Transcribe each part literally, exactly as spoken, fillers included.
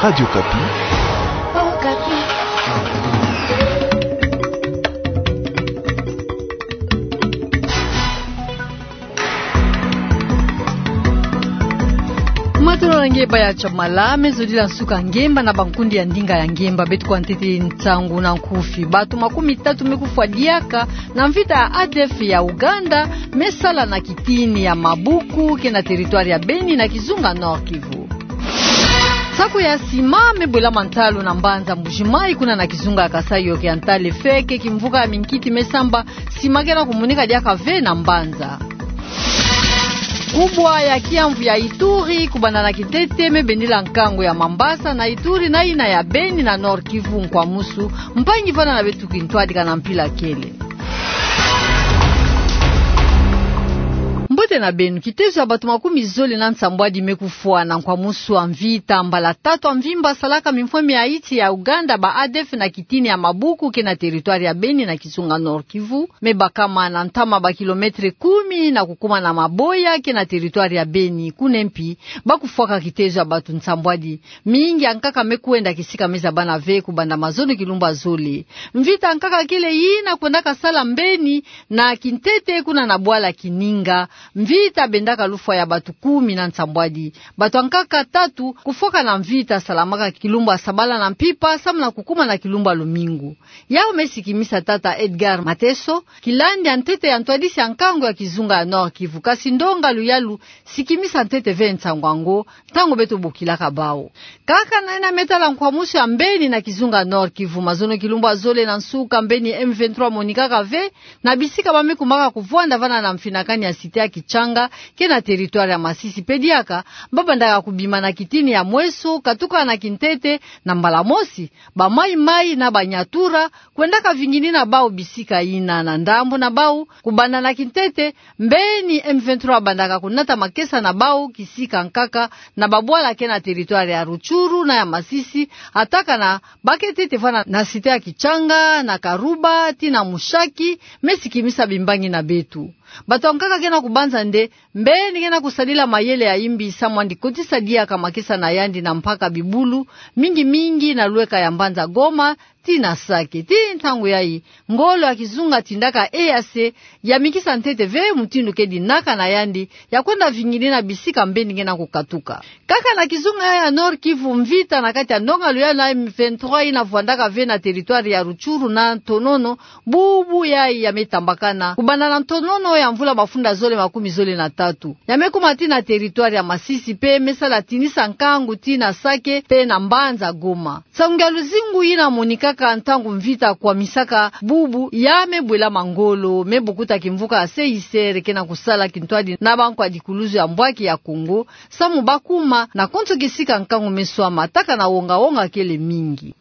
Radio Okapi. Matondo na nge baya Chamala, me zodila nsuka ngemba na bankundi ya ndinga ya ngemba. Beto kwa ntete nsangu na nkufi. Bato makumi tatu me kufwa diaka na mvita ya A D F ya Uganda, me sala na kitini ya Mabuku, ke na territoire ya Beni na kizunga Nord-Kivu. Saku ya sima me bwelama ntalu na mbanza Mbuji-Mayi, kuna na kizunga ya Kasaï Oriental, feke kimvuka ya minkiti me samba, sima ke na kumonika diaka ve na mbanza. Kubwa ya kiamvu ya Ituri, kubanda na kintete, me bendila nkangu ya Mambasa na Ituri, na yina ya Beni na Nord-Kivu nkwamusu, mpangi vana na beto kintwadika na mpila kele. Mbote na beno. Kitezo ya bato makumi zole na nsambwadi me kufwa na nkwamusu ya mvita mbala tatu ya mvimba salaka mimfweme ya iti ya Uganda, ba A D F, na kitini ya Mabuku, ke na territoire ya Beni na kizunga Nord-Kivu, me bakama na ntama ba kilomètre kumi na kukuma na Maboya, ke na territoire ya Beni. Kuna mpi ba kufwaka kitezo ya bato nsambwadi. Mingi ya nkaka me kwenda kisika me zabana ve kubanda mazono kilumbu ya zole. Mvita ya nkaka kele yina kwendaka sala mbeni na kintete kuna na bwala Kininga. Mvita bendaka lufwa ya bato kumi na nsambwadi. Bato ya nkaka tatu kufwaka na mvita salamaka kilumbu ya sabala na mpimpa, samu na kukuma na kilumbu ya lumingu. Yau me sikimisa tata Edgar Mateso, kilandi ya ntete ya ntwadisi ya nkangu ya kizunga ya Nord-Kivu. Kasi ndonga luyalu sikimisa ntete ve nsangu yango, ntangu beto bokilaka bau. Kaka na yina me tala nkwamusu ya mbeni na kizunga Nord-Kivu, mazono kilumbu ya zole na nsuka, mbeni M vingt-trois monikaka ve na bisika ba me kumaka kuvwanda vana na mfinakani ya cité ya Kitshanga, ke na territoire ya Masisi. Pe diaka ba bandaka kubima na kitini ya Mweso, katuka na kintete, na mbala mosi ba Maï-Maï na ba Nyatura kwendaka vinginina bau bisika yina. Na ndambu na bau, kubanda na kintete, mbeni M vingt-trois bandaka kunata makesa na bau kisika nkaka na babwala ke na territoire ya Rutshuru na ya Masisi, atakana ba ke ntete vana na cité ya Kitshanga, na Karuba, tii na Mushaki, me sikimisa bimbangi na beto. Bato ya nkaka ke na kubanza nde mbeni ke na kusadila mayele ya imbi samu andi kotisa diaka makesa na yandi na mpaka bibulu, mingi mingi na lweka ya mbanza Goma, tii na Sake. Tii ntangu yayi, ngolo ya kizunga tindaka E A C yamikisa ntete ve mutindu ke dinaka na yandi ya kwenda vinginina bisika mbeni ke na kukatuka. Kaka na kizunga ya Nord-Kivu, mvita na kati ya ndonga luyalu na M vingt-trois yina vwandaka ve na territoire ya Rutshuru na Ntonono, bubu yayi ya me tambakana kubanda na Ntonono ya mvula mafunda zole makumi zole na tatu. Ya me kuma tii na territoire ya Masisi pe me sala tinisa nkangu tii na Sake pe na mbanza Goma. Nsangu ya luzingu yina monikaka ntangu mvita kwamisaka bubu ya me bwelama ngolo, me bukuta kimvuka ya C I C R ke na kusala kintwadi na bankwa dikuluzu ya mbwaki ya Kongo, samu ba kuma na konso kisika nkangu me swama, taka na wonga-wonga kele mingi.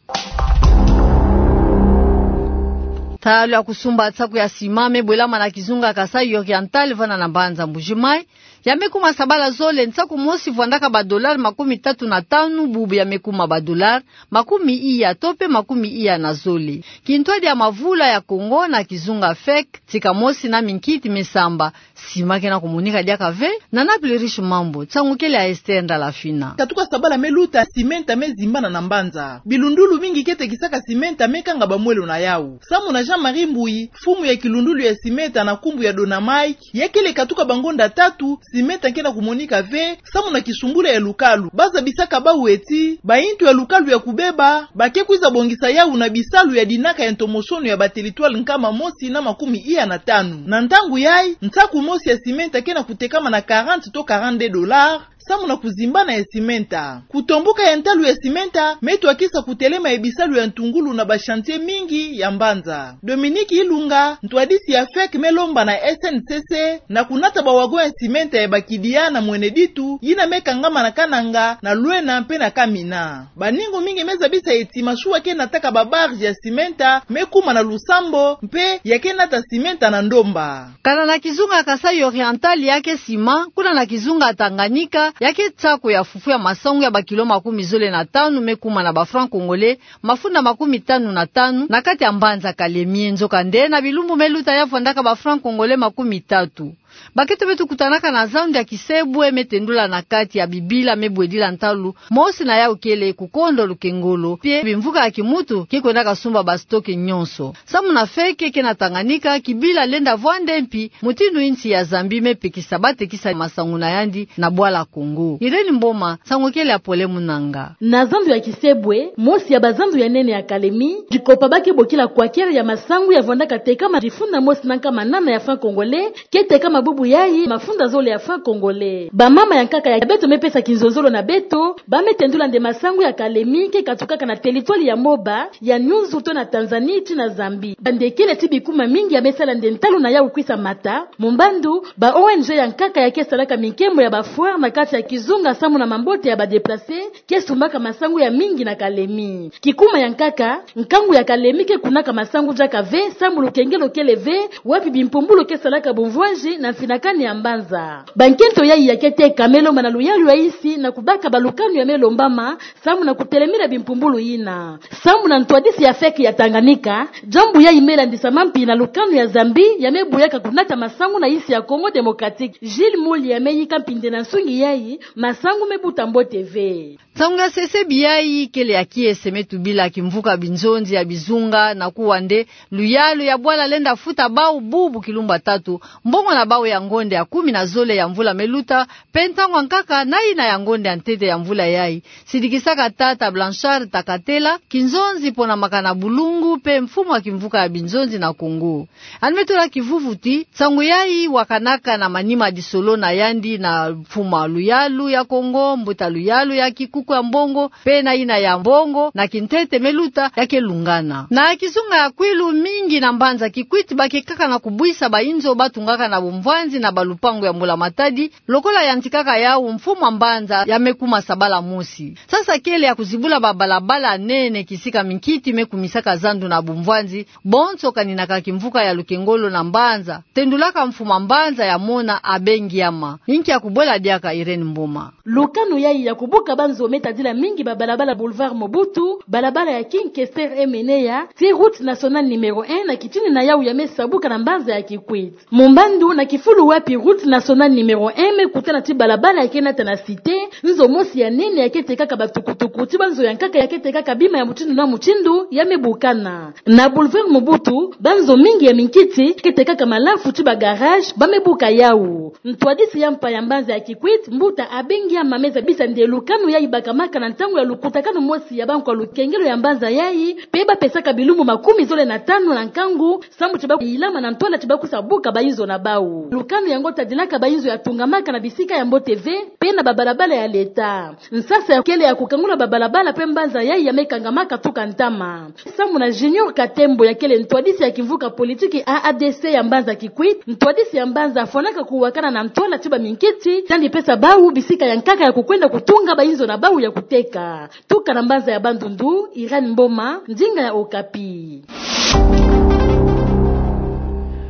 Talo ya kusumba nsaku ya sima me bwelama na kizunga Kasaï Oriental vana na mbanza Mbuji-Mayi. Ya me kuma sabala zole, nsaku mosi vwandaka ba dollars makumi tatu na tanu, bubu ya me kuma ba dollars makumi iya to pe makumi iya na zole. Kintwadi ya mavula ya Kongo na kizunga FEC, tika mosi na minkiti me samba, sima ke na kumonika diaka ve. Na Naples Riche Mambu, nsangu kele ya Esther Ndalafina. Katuka sabala me luta, simenta me zimbana na mbanza. Bilundulu mingi ke tekisaka simenta me kanga bamwelo na yau. Samu na Jean-Marie Mbuyi, mfumu ya kilundulu ya simenta na nkumbu ya Donamai, ya kele katuka bangonda tatu, simenta ke na kumonika ve, samu na kisumbula ya lukalu. Ba zabisaka bau ti bayintu ya lukalu ya kubeba, ba ke kwiza bongisa yau na bisalu ya dinaka ya ntomosono ya ba territoire nkama mosi na makumi iya na tanu. Na ntangu yayi, nsaku mosi ya simenta ke na kutekama na quarante to quarante-deux dollars, samu na kuzimbana ya simenta. Kutomboka ya ntalu ya simenta me twakisa kutelema ya bisalu ya ntungulu na ba chantier mingi ya mbanza. Dominique Ilunga, ntwadisi ya FEC, me lomba na S N C C na kunata ba wagon ya simenta ya ba kidia na Mweneditu, yina me kangama na Kananga, na Luena mpe na Kamina. Baningu mingi me zabisa ti masuwa ke nataka ba barge ya simenta me kuma na Lusambo, mpe ya ke nata simenta na Ndomba. Kana na kizunga Kasaï Oriental, ya ke sima, kuna na kizunga Tanganyika, ya ke nsaku ya fufu ya masangu ya ba kilo makumi zole na tanu me kuma na ba francs congolais mafunda makumi tanu na tanu na kati ya mbanza Kalemie. Nzokande, na bilumbu me luta ya vwandaka ba francs congolais makumi tatu. Bakento beto kutanaka na zandu ya Kisebwe me tendula na kati ya bibila me bwedila ntalu, mosi na yau kele kukondo lukengolo, pie bimvuka ya kimuntu ke kwendaka sumba ba stock nyonso. Samu na feke ke na Tanganyika, kibila lenda vwanda mpi mutindu insi ya Zambie me pekisa batekisa masangu na yandi na bwala Kongo. Irène Mboma, nsangu kele ya Pole Munanga. Na zandu ya Kisebwe, mosi ya bazandu ya nene ya Kalemi, dikopa ba ke bokila kwakere ya masangu ya vwandaka tekama difunda mosi na nkama nana ya francs congolais, ke tekama bubu yayi mafunda zole ya francs congolais. Bamama ya nkaka ya beto me pesa kinzonzolo na beto, ba me tendula nde masangu ya Kalemi ke katukaka na territoire ya Moba, ya Nyunzu to na Tanzanie ti na Zambie. Bande kele ti bikuma mingi ya me sala nde ntalu na yau kwisa mata, mumbandu ba O N G ya nkaka ya ke salaka minkembo ya ba foire na kati ya kizunga samu na mambote ya ba déplacés, ke sumbaka masangu ya mingi na Kalemi. Kikuma ya nkaka, nkangu ya Kalemi ke kunaka masangu diaka ve, samu lukengelo kele ve, wapi bimpumbulu ke salaka bumvwanzi na mfinakani ya mbanza. Bankento yayi ya ke teka me lomba na luyalu ya insi na kubaka balukanu ya me lombama, samu na kutelemina bimpumbulu yina. Samu na ntwadisi ya feke ya Tanganyika, diambu yayi me landisama mpi na lukanu ya Zambie ya me buyaka kunata masangu na insi ya Congo Démocratique. Gilles Mouly ya me yika mpi nde na nsungi yayi, masangu me buta mbote ve. Nsangu ya sesebi yayi kele ya kiese me tubila kimvuka binzonzi ya bizunga na kuwa nde luyalu ya bwala lenda futa bau bubu kilumbu ya tatu, mbongo na bau ya ngonde ya kumi na zole ya mvula me luta, mpe ntangu ya nkaka na yina ya ngonde ya ntete ya mvula yayi, sidikisaka tata Blanchard Takatela, kinzonzi ponamaka na bulungu mpe mfumu ya kimvuka ya binzonzi na Kongo. Yandi me tula kivuvu ti, nsangu yayi wakanaka na manima disolo na yandi na mfumu ya luyalu ya Kongo, mbuta luyalu ya kikuku ya mbongo, mpe na yina ya mbongo na kintete me luta ya ke lungana. Na kizunga ya Kwilu, mingi na mbanza Kikwit ba ke kaka na kubwisa bainzo ba tungaka na bumvwanzi na balupangu ya mbula-matadi, lokola yantikaka yau mfumu ya mbanza ya me kuma sabala mosi. Sasa kele ya kuzibula babalabala nene kisika minkiti me kumisaka zandu na bumvwanzi, bonso kaninaka kimvuka ya lukengolo na mbanza, tendulaka mfumu ya mbanza ya mona Abe Ngiama. Inki ya kubwela diaka, Irène Mboma? Lukanu yayi ya kubuka banzo me tadila mingi babalabala Boulevard Mobutu, balabala ya King Kester Emeneya, ti route nationale numéro un na kitini na yau ya me sabuka na mbanza ya Kikwit. Mumbandu na kifulu wapi route nationale numéro un me kutana ti balabala ya ke nata na Cité, nzo mosi ya nene ya ke tekaka batukutuku ti banzo ya nkaka ya ke tekaka bima ya mutindu na mutindu ya me bukana. Na Boulevard Mobutu, banzo mingi ya minkiti ke tekaka malafu ti ba garage ba me buka yau. Ntwadisi ya mpa ya mbanza ya Kikwit, mbuta Abe Ngiama, me zabisa nde lukanu yayi bakamaka na ntangu ya lukutakanu mosi ya bankwa lukengelo ya mbanza yayi, mpe ba pesaka bilumbu makumi zole na tanu na nkangu, samu ti ba yilama na ntwala ti ba kwisa buka bainzo na bau. Lukanu yango tadilaka bainzo ya tungamaka na bisika ya mbote ve, mpe na babalabala ya leta. Nsasa ya kele ya kukangula babalabala mpe mbanza yayi ya me kangamaka tuka ntama. Samu na Junior Katembo ya kele ntwadisi ya kimvuka politiki A A D C ya mbanza Kikwit, ntwadisi ya mbanza afwanaka kuwakana na ntwala ti baminkiti, tandi pesa bau bisika ya nkaka ya kukwenda kutunga bainzo na bau ya kuteka. Tuka na mbanza ya Bandundu, Irène Mboma, ndinga ya Okapi.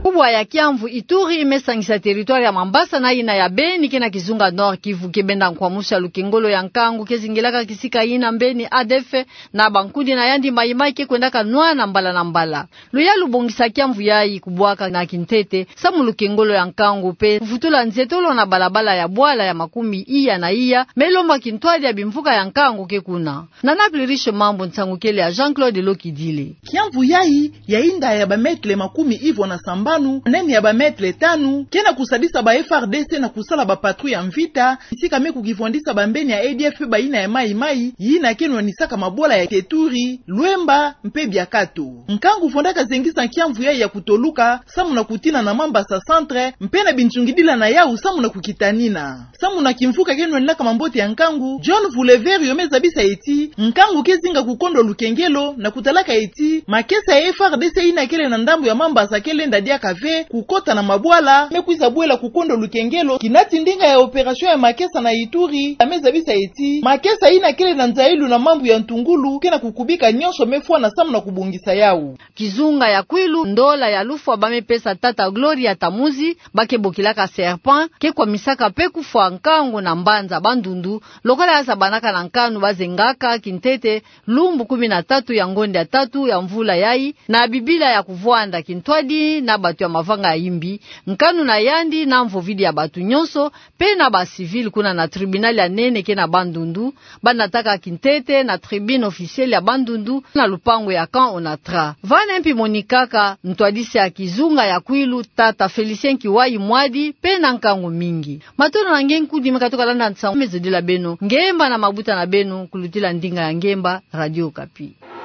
Kubwa ya Kiamvu Ituri me sangisa territoire ya Mambasa na yina ya Beni ke na kizunga Nord-Kivu, ke benda nkwamusu ya lukengolo ya nkangu ke zingilaka kisika yina mbeni A D F na bankudi na yandi Maï-Maï ke kwendaka nwana mbala na mbala. Luyalu bongisa kiamvu yayi kubwaka na kintete, samu lukengolo ya nkangu mpe kuvutula nzietolo na balabala ya bwala ya makumi iya na iya, me lomba kintwadi ya bimvuka ya nkangu ke kuna. Na Naples Riche Mambu, nsangu kele ya Jean-Claude Lokidile. Kiamvu yayi, ya inda ya ba mètre makumi ivwa na sambanu, nene ya ba mètre tanu, ke na kusadisa ba F A R D C na kusala ba patrouille ya mvita, bisika me kukivwandisa bambeni ya A D F mpe bayina ya Maï-Maï, yina ke nwanisaka mabwala ya Teturi, Luemba, mpe Biakato. Nkangu vwandaka zengisa kiamvu yayi ya kutoluka, samu na kutina na Mambasa Centre, mpe na bintsungidila na yau samu na kukitanina. Samu na kimvuka ke nwanaka mambote ya nkangu, John Vuleverio me zabisa ti, nkangu ke zinga kukondwa lukengelo, na kutalaka ti, makesa ya F A R D C yina kele na ndambu ya Mambasa ke lenda diaka ve kukota na mabwala me kwiza bwela kukondwa lukengelo, kinati ndinga ya opération ya makesa na Ituri, a me zabisa ti, makesa yina kele na nzayilu na mambu ya ntungulu, ke na kukubika nyonso me fwana samu na kubongisa yau. Kizunga ya Kwilu, ndola ya lufwa ba me pesa tata Gloria Tamuzi, ba ke bokilaka Serpent, ke kwamisaka mpe kufwa nkangu na mbanza Bandundu, lokola ya zabanaka na nkanu ba zengaka kintete, lumbu kumi na tatu ya ngonde ya tatu ya mvula yayi, na bibila ya kuvwanda kintwadi na batu ya mavanga ya yimbi, nkanu na yandi na mvovidi ya bato nyonso, pe na ba civil kuna na tribunal ya nene ke na Bandundu, ba nataka kintete na tribune officielle ya Bandundu na lupangu ya Camp Onatra. Vane mpi monikaka ntwadisi ya kizunga ya Kwilu, tata Félicien Kiwayi Mwadi, pe na nkangu mingi. Matondo na nge nkudi me katuka landa nsangu me zodila beno ngemba na mabuta na beno, kulutila ndinga ya ngemba, Radio Okapi.